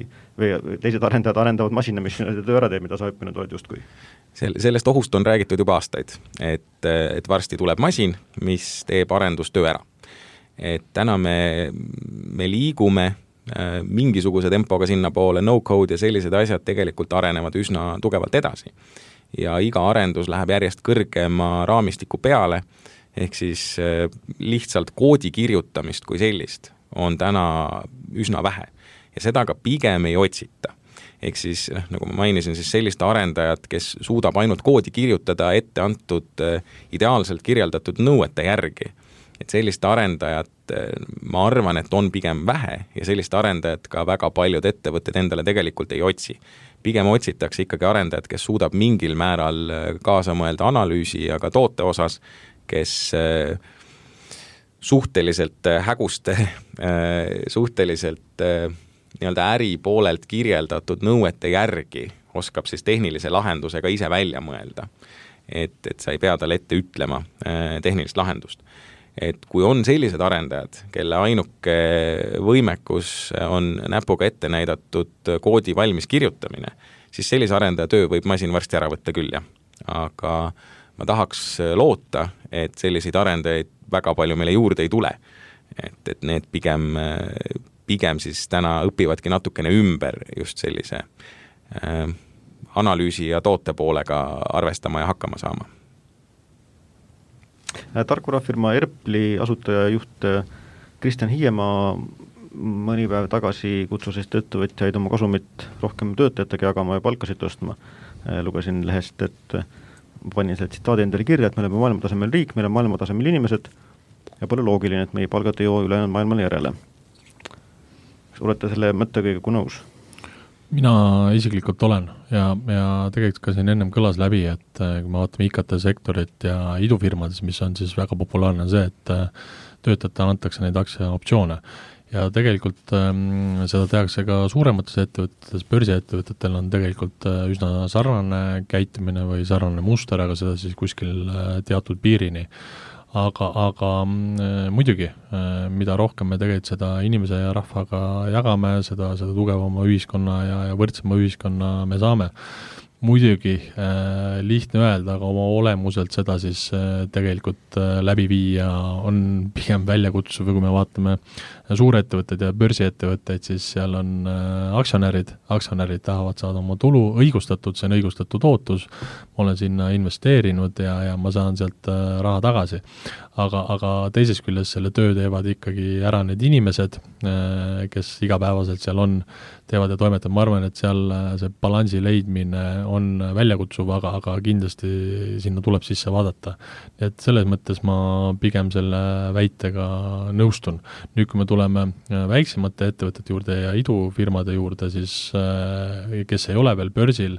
teised arendajad arendavad masina, mis töö ära teeb, mida sa õppinud oled justkui? Sellest ohust on räägitud juba aastaid, et varsti tuleb masin, mis teeb arendustöö ära. Et täna me liigume mingisuguse tempoga sinna poole, no-code ja sellised asjad tegelikult arenevad üsna tugevalt edasi. Ja iga arendus läheb järjest kõrgema raamistiku peale, ehk siis lihtsalt koodi kirjutamist kui sellist on täna üsna vähe. Ja seda ka pigem ei otsita. Ehk siis, nagu ma mainisin, siis sellist arendajat, kes suudab ainult koodi kirjutada ette antud ideaalselt kirjeldatud nõuete järgi. Et sellist arendajat, ma arvan, et on pigem vähe ja sellist arendajat ka väga paljud ettevõtted endale tegelikult ei otsi. Pigem otsitakse ikkagi arendajat, kes suudab mingil määral kaasa mõelda analüüsi ja ka toote osas, kes suhteliselt häguste, suhteliselt nii-öelda äri poolelt kirjeldatud nõuete järgi oskab siis tehnilise lahendusega ise välja mõelda. Et sa ei pea talle ette ütlema tehnilist lahendust. Et kui on sellised arendajad, kelle ainuke võimekus on näpuga ette näidatud koodi valmis kirjutamine, siis sellise arendaja töö võib masin varsti ära võtta küll, jah. Aga ma tahaks loota, et selliseid arendajaid väga palju meile juurde ei tule. Et need pigem siis täna õpivadki natukene ümber just sellise analüüsi ja toote poolega arvestama ja hakkama saama. Tarkvarafirma Erpli asutaja juht Kristjan Hiiemaa mõni päev tagasi kutsus ettevõtjaid oma kasumit rohkem töötajatega jagama ja palkasid tõstma. Lugesin lehest, et panin selle tsitaadi endale kirja, et me oleme maailmatasemel riik, meil on maailmatasemel inimesed ja pole loogiline, et meie palgad ei joo ülejäänud maailmale järele. Kas olete selle mõttega nõus? Mina isiklikult olen ja tegelikult ka siin ennem kõlas läbi, et kui me vaatame IKT-sektorit ja idufirmades, mis on siis väga populaarne see, et töötajatele antakse neid aktsiaoptsioone. Ja tegelikult seda tehakse ka suuremates ettevõtetes, börsiettevõtetel on tegelikult üsna sarnane käitumine või sarnane muster, aga seda siis kuskil teatud piirini. Aga muidugi, mida rohkem me tegelikult seda inimese ja rahvaga jagame, seda tugevama ühiskonna ja võrdsema ühiskonna me saame. muidugi lihtne öelda, aga oma olemuselt seda siis tegelikult läbi viia on pigem väljakutsuv, kui me vaatame suurettevõtteid ja börsiettevõtteid, siis seal on aktsionärid tahavad saada oma tulu õigustatud, see on õigustatud ootus, ma olen sinna investeerinud ja ma saan sealt raha tagasi. Aga teises küljes selle töö teevad ikkagi ära need inimesed, kes igapäevaselt seal on, teevad ja toimetavad. Ma arvan, et seal see balansi leidmine on väljakutsuv, aga kindlasti sinna tuleb sisse vaadata. Et selles mõttes ma pigem selle väitega nõustun. Nüüd, kui me tuleme väiksemate ettevõtete juurde ja idufirmade juurde, siis kes ei ole veel börsil,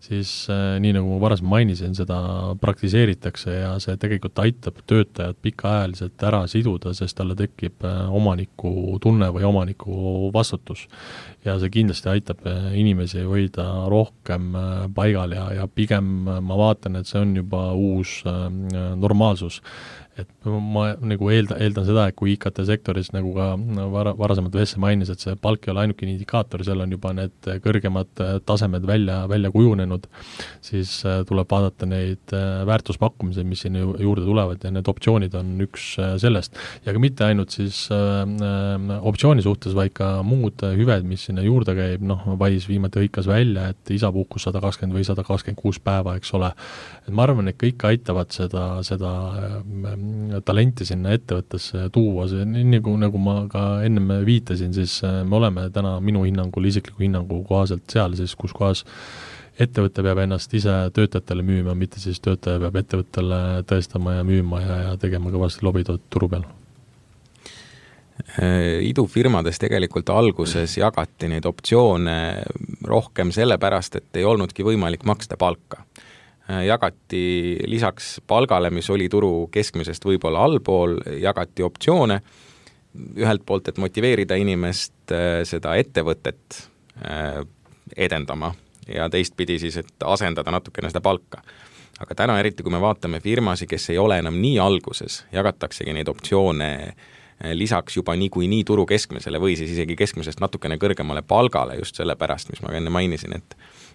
siis nii nagu ma varasem mainisin, seda praktiseeritakse ja see tegelikult aitab töötajad pikaajaliselt ära siduda, sest talle tekib omaniku tunne või omaniku vastutus. Ja see kindlasti aitab inimesi hoida rohkem paigal ja pigem ma vaatan, et see on juba uus normaalsus. Et ma nagu eeldan seda, et kui IKT-sektoris nagu ka varasemalt Vesse mainis, et see palk ei ole ainuke indikaator, seal on juba need kõrgemad tasemed välja kujunenud, siis tuleb vaadata neid väärtuspakkumised, mis sinna juurde tulevad ja need optsioonid on üks sellest. Ja ka mitte ainult siis optsiooni suhtes, vaid ka muud hüved, mis sinna juurde käib, Wise viimati hõikas välja, et isapuhkus 120 või 126 päeva, eks ole. Et ma arvan, et kõik aitavad seda talenti sinna ettevõttesse tuua, see nagu ma ka enne viitasin, siis me oleme täna minu hinnangul, isikliku hinnangu kohaselt seal, siis kus kohas ettevõte peab ennast ise töötajatele müüma, mitte siis töötaja peab ettevõttele tõestama ja müüma ja tegema kõvasti lobitööd turu peal. Idufirmades tegelikult alguses jagati neid optsioone rohkem sellepärast, et ei olnudki võimalik maksta palka. Jagati lisaks palgale, mis oli turu keskmisest võib-olla allpool, jagati optsioone ühelt poolt, et motiveerida inimest seda ettevõtet edendama ja teistpidi siis, et asendada natukene seda palka. Aga täna eriti, kui me vaatame firmasi, kes ei ole enam nii alguses, jagataksegi neid optsioone lisaks juba nii turu keskmisele või siis isegi keskmisest natukene kõrgemale palgale just selle pärast, mis ma enne mainisin,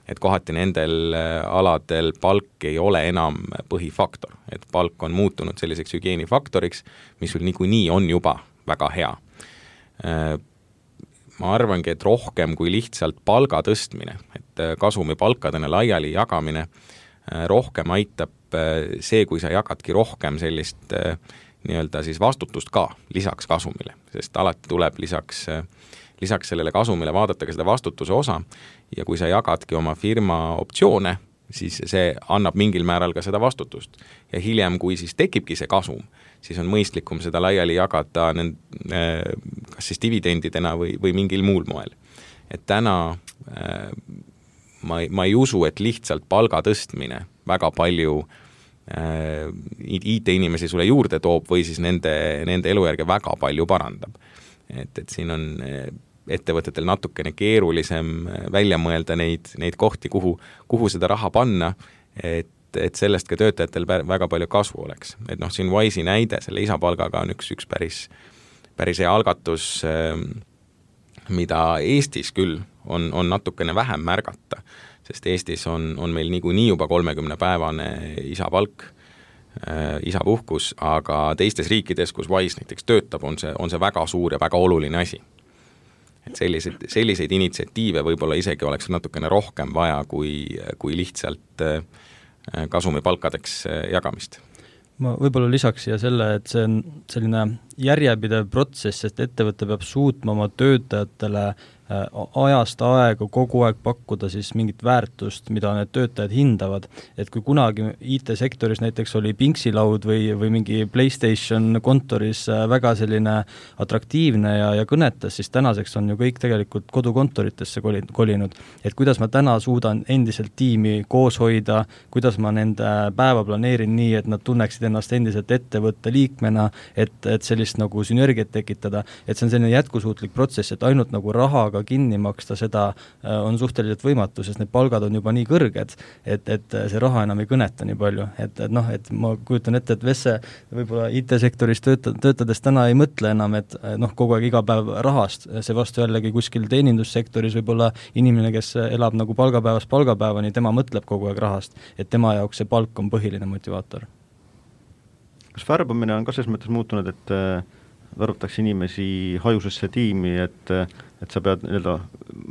et kohati nendel aladel palk ei ole enam põhifaktor, et palk on muutunud selliseks hügieenifaktoriks, mis sul nii on juba väga hea. Ma arvangi, et rohkem kui lihtsalt palga tõstmine, et kasumi palkadena laiali jagamine, rohkem aitab see, kui sa jagadki rohkem sellist nii-öelda siis vastutust ka lisaks kasumile, sest alati tuleb lisaks sellele kasumile vaadata ka seda vastutuse osa ja kui sa jagadki oma firma optsioone, siis see annab mingil määral ka seda vastutust. Ja hiljem, kui siis tekibki see kasum, siis on mõistlikum seda laiali jagada kas siis dividendidena või mingil muul moel. Et täna ma ei usu, et lihtsalt palga tõstmine väga palju IT-inimesi sulle juurde toob või siis nende elujärge väga palju parandab. Et siin on ettevõtetel natukene keerulisem välja mõelda neid kohti, kuhu seda raha panna, et sellest ka töötajatel väga palju kasvu oleks. Et siin Wise'i näide, selle isapalgaga on üks päris hea algatus, mida Eestis küll on natukene vähem märgata, sest Eestis on meil nii juba 30-päevane isapalk, isapuhkus, aga teistes riikides, kus Wise näiteks töötab, on see väga suur ja väga oluline asi. Et selliseid initsiatiive võib-olla isegi oleks natukene rohkem vaja kui lihtsalt kasumipalkadeks jagamist. Ma võib-olla lisaks siia selle, et see on selline järjepidev protsess, sest ettevõte peab suutma oma töötajatele ajast aega kogu aeg pakkuda siis mingit väärtust, mida need töötajad hindavad. Et kui kunagi IT-sektoris näiteks oli Pinksilaud või mingi PlayStation kontoris väga selline atraktiivne ja kõnetas, siis tänaseks on ju kõik tegelikult kodukontoritesse kolinud. Et kuidas ma täna suudan endiselt tiimi koos hoida, kuidas ma nende päeva planeerin nii, et nad tunneksid ennast endiselt ettevõtte liikmena, et sellise sellist nagu sünergiat tekitada, et see on selline jätkusuutlik protsess, et ainult nagu rahaga kinni maksta seda on suhteliselt võimatu, sest need palgad on juba nii kõrged, et see raha enam ei kõneta nii palju, et ma kujutan ette, et Vesse võib-olla IT-sektoris töötades täna ei mõtle enam, et kogu aeg iga päev rahast, see vastu jällegi kuskil teenindussektoris võib-olla inimene, kes elab nagu palgapäevast palgapäevani, tema mõtleb kogu aeg rahast, et tema jaoks see palk on põhiline motivaator. Kas värbamine on ka selles mõttes muutunud, et värvatakse inimesi hajusesse tiimi, et sa pead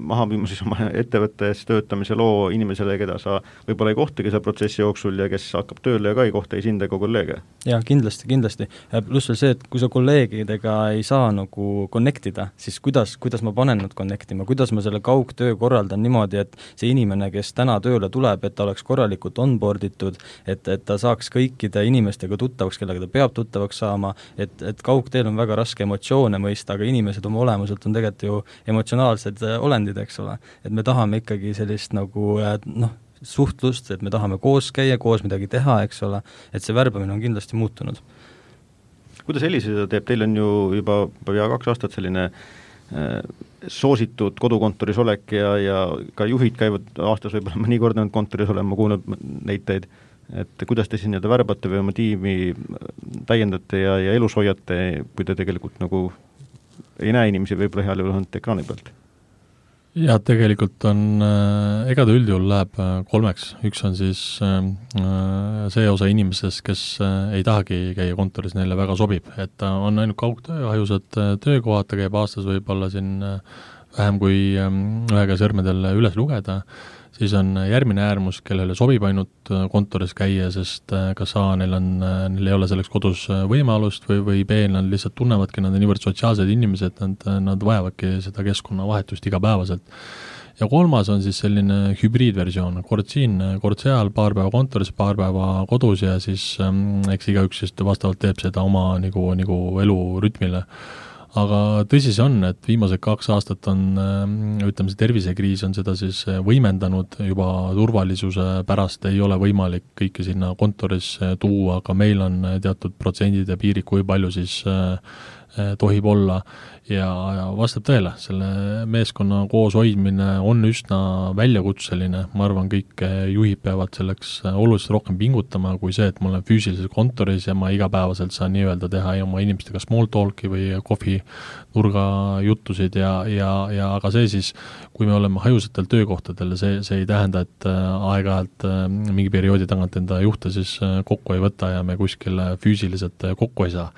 maha müüma siis oma ettevõttes töötamise loo inimesele, keda sa võib-olla ei kohtagi seal protsessi jooksul ja kes hakkab tööle ja ka ei kohta ei sind ega kolleege? Jaa, kindlasti. Pluss veel see, et kui sa kolleegidega ei saa nagu connectida, siis kuidas ma panen nad connectima, kuidas ma selle kaugtöö korraldan niimoodi, et see inimene, kes täna tööle tuleb, et ta oleks korralikult onboarditud, et ta saaks kõikide inimestega tuttavaks, kellega ta peab tuttavaks saama, et kaugteel on väga raske emotsioone mõista, aga inimesed oma olemuselt on tegelikult ju emotsionaalsed olendid, eks ole. Et me tahame ikkagi sellist nagu suhtlust, et me tahame koos käia, koos midagi teha, eks ole, et see värbamine on kindlasti muutunud. Kuidas Elisa seda teeb? Teil on ju juba pea 2 aastat selline soositud kodukontoris olek ja ka juhid käivad aastas võib-olla mõni kord kontoris olema, kuulnud näiteid, et kuidas te siin värbate või oma tiimi täiendate ja elus hoiate, kui te tegelikult nagu ei näe inimesi võib-olla heal juhul ainult ekraani pealt? Ja tegelikult on, ega ta üldjuhul läheb 3, üks on siis see osa inimesest, kes ei tahagi käia kontoris, neile väga sobib, et ta on ainult kaugtöö, hajusad töökohad, ta käib aastas võib-olla siin vähem kui ühega sõrmedel üles lugeda, siis on järgmine äärmus, kellele sobib ainult kontoris käia, sest kas A, neil ei ole selleks kodus võimalust või B, nad lihtsalt tunnevadki, nad on niivõrd sotsiaalsed inimesed, nad vajavadki seda keskkonnavahetust igapäevaselt. Ja 3 on siis selline hübriidversioon, kord siin, kord seal, paar päeva kontoris, paar päeva kodus ja siis eks igaüks just vastavalt teeb seda oma nagu elurütmile. Aga tõsi see on, et viimased 2 aastat on, ütleme, see tervisekriis on seda siis võimendanud, juba turvalisuse pärast ei ole võimalik kõike sinna kontoris tuua, aga meil on teatud protsendid ja piirid, kui palju siis tohib olla ja vastab tõele, selle meeskonna koos hoidmine on üsna väljakutseline, ma arvan, kõik juhid peavad selleks oluliselt rohkem pingutama kui see, et ma olen füüsiliselt kontoris ja ma igapäevaselt saan nii-öelda teha oma inimestega small talki või kohvi nurga juttusid ja aga see siis, kui me oleme hajusatel töökohtadel, see ei tähenda, et aeg-ajalt mingi perioodi tagant enda juhte siis kokku ei võta ja me kuskil füüsiliselt kokku ei saa.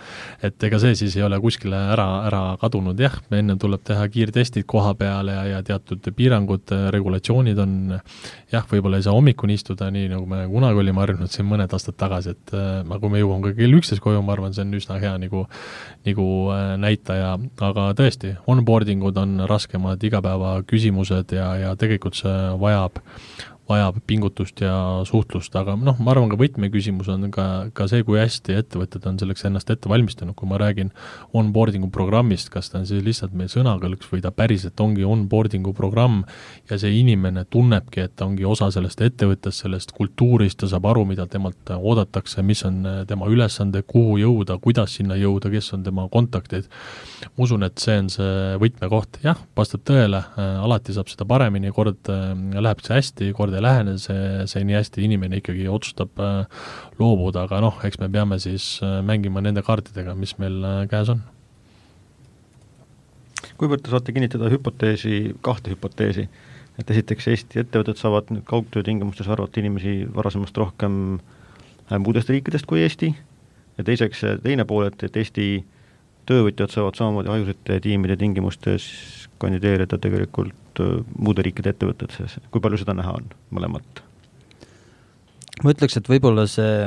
Et ega see siis ei ole kuskile ära kadunud, jah, me enne tuleb teha kiirtestid koha peale ja teatud piirangud, regulatsioonid on, jah, võib-olla ei saa hommikuni istuda nii, nagu me kunagi olime harjunud siin mõned aastad tagasi, et kui me jõuame ka kell 11 koju, ma arvan, see on üsna hea nagu näitaja, aga tõesti, onboardingud on raskemad igapäeva küsimused ja tegelikult see vajab pingutust ja suhtlust, aga ma arvan, ka võtmeküsimus on ka see, kui hästi ettevõtted on selleks ennast ette valmistanud, kui ma räägin onboardingu programmist, kas ta on siis lihtsalt meie sõnakõlks või ta päriselt ongi onboardingu programm ja see inimene tunnebki, et ta ongi osa sellest ettevõttest, sellest kultuurist, ta saab aru, mida temalt oodatakse, mis on tema ülesande, kuhu jõuda, kuidas sinna jõuda, kes on tema kontaktid. Ma usun, et see on see võtmekoht, jah, vastab tõele, alati saab seda paremini, kord läheb see hästi, kord ei lähene see nii hästi, inimene ikkagi otsustab loobuda, aga eks me peame siis mängima nende kaartidega, mis meil käes on. Kuivõrd te saate kinnitada kahte hüpoteesi, et esiteks Eesti ettevõtted saavad nüüd kaugtöö tingimustes arvata inimesi varasemast rohkem muudest riikidest kui Eesti ja teiseks teine pool, et Eesti töövõtjad saavad samamoodi hajusate tiimide tingimustes kandideerida tegelikult muude riikide ettevõtted, kui palju seda näha on mõlemat? Ma ütleks, et võib-olla see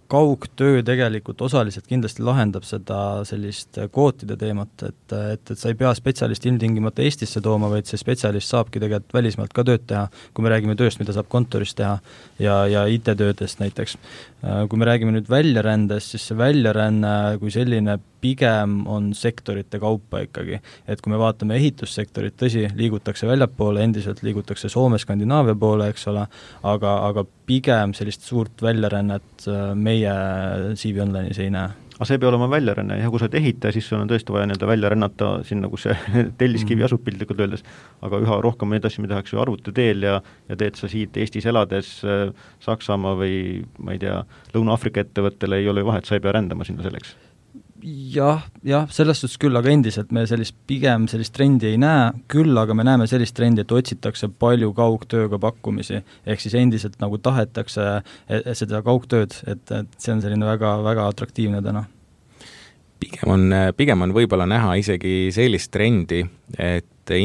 kaugtöö tegelikult osaliselt kindlasti lahendab seda sellist kvootide teemat, et sa ei pea spetsialisti ilmtingimata Eestisse tooma, vaid see spetsialist saabki tegelikult välismaalt ka tööd teha, kui me räägime tööst, mida saab kontoris teha ja IT-töödest näiteks. Kui me räägime nüüd väljarändest, siis see väljaränne kui selline pigem on sektorite kaupa ikkagi. Et kui me vaatame ehitussektorit, tõsi, liigutakse väljapoole, endiselt liigutakse Soome, Skandinaavia poole, eks ole, aga pigem sellist suurt väljarännet meie CV Online'is ei näe. aga see ei pea olema väljaränne, ja kui sa oled ehitaja, siis sul on tõesti vaja nii-öelda välja rännata sinna, kus see telliskivi asub piltlikult öeldes, aga üha rohkem neid asju me tehakse ju arvuti teel ja teed sa siit Eestis elades Saksamaa või ma ei tea, Lõuna-Aafrika ettevõttele ei ole vahet, sa ei pea rändama sinna selleks. Jah, selles suhtes küll, aga endiselt me pigem sellist trendi ei näe, küll aga me näeme sellist trendi, et otsitakse palju kaugtööga pakkumisi, ehk siis endiselt nagu tahetakse seda kaugtööd, et see on selline väga, väga atraktiivne täna. Pigem on võib-olla näha isegi sellist trendi, et Eesti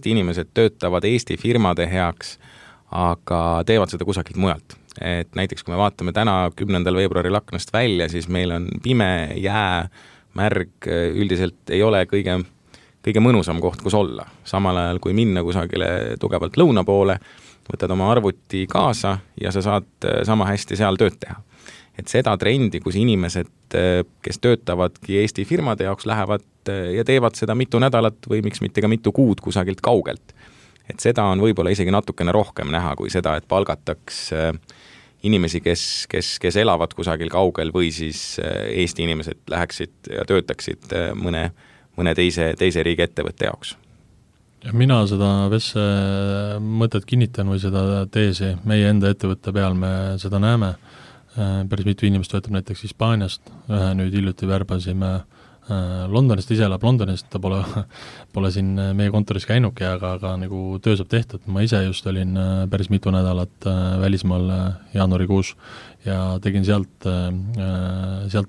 inimesed töötavad Eesti firmade heaks, aga teevad seda kusagilt mujalt. Et näiteks kui me vaatame täna 10. veebruaril aknast välja, siis meil on pime, jää, märg, üldiselt ei ole kõige mõnusam koht, kus olla. Samal ajal kui minna kusagile tugevalt lõuna poole, võtad oma arvuti kaasa ja sa saad sama hästi seal tööd teha. Et seda trendi, kus inimesed, kes töötavadki Eesti firmade jaoks, lähevad ja teevad seda mitu nädalat või miks mitte ka mitu kuud kusagilt kaugelt. Et seda on võib-olla isegi natukene rohkem näha kui seda, et palgataks inimesi, kes elavad kusagil kaugel või siis Eesti inimesed läheksid ja töötaksid mõne teise riigi ettevõtte jaoks. Ja mina seda Vesse mõtet kinnitan või seda teesi meie enda ettevõtte peal me seda näeme. Päris mitu inimest võetab näiteks Hispaaniast, ühe nüüd hiljuti värbasime Londonist, ise elab Londonist, ta pole siin meie kontoris käinuki, aga nagu töö saab tehtud. Ma ise just olin päris mitu nädalat välismaal jaanuarikuus ja tegin sealt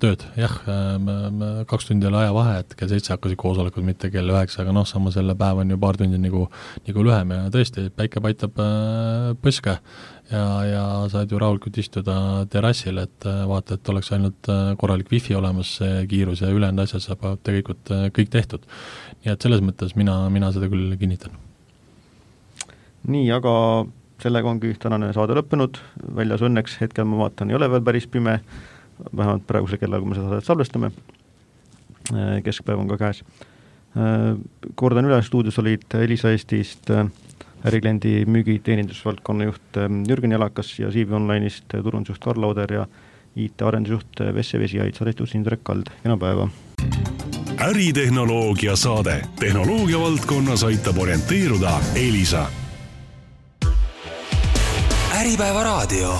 tööd. Jah, 2 tundi oli aja vahe, et kell 7 hakkasid koosolekud, mitte kell 9, aga sama selle päev on ju paar tundi nagu lühem ja tõesti, päike paitab põske ja saad ju rahulikult istuda terrassil, et vaata, et oleks ainult korralik wifi olemas, see kiirus ja ülejäänud asjad saab tegelikult kõik tehtud. Nii et selles mõttes mina seda küll kinnitan. Nii, aga sellega ongi tänane saade lõppenud, väljas õnneks hetkel ma vaatan, ei ole veel päris pime, vähemalt praegusel kellal, kui me seda saadet salvestame, keskpäev on ka käes. Kordan üle, stuudios olid Elisa Eestist ärikliendi müügi teenindusvaldkonna juht Jürgen Jalakas ja CV Online'ist turundusjuht Karl Lauder ja IT-arendusjuht Vesse Vesiaid, saadetus Indrek Kald. Kena päeva! Äritehnoloogia saade. Tehnoloogia valdkonnas aitab orienteeruda Elisa. Äripäeva raadio.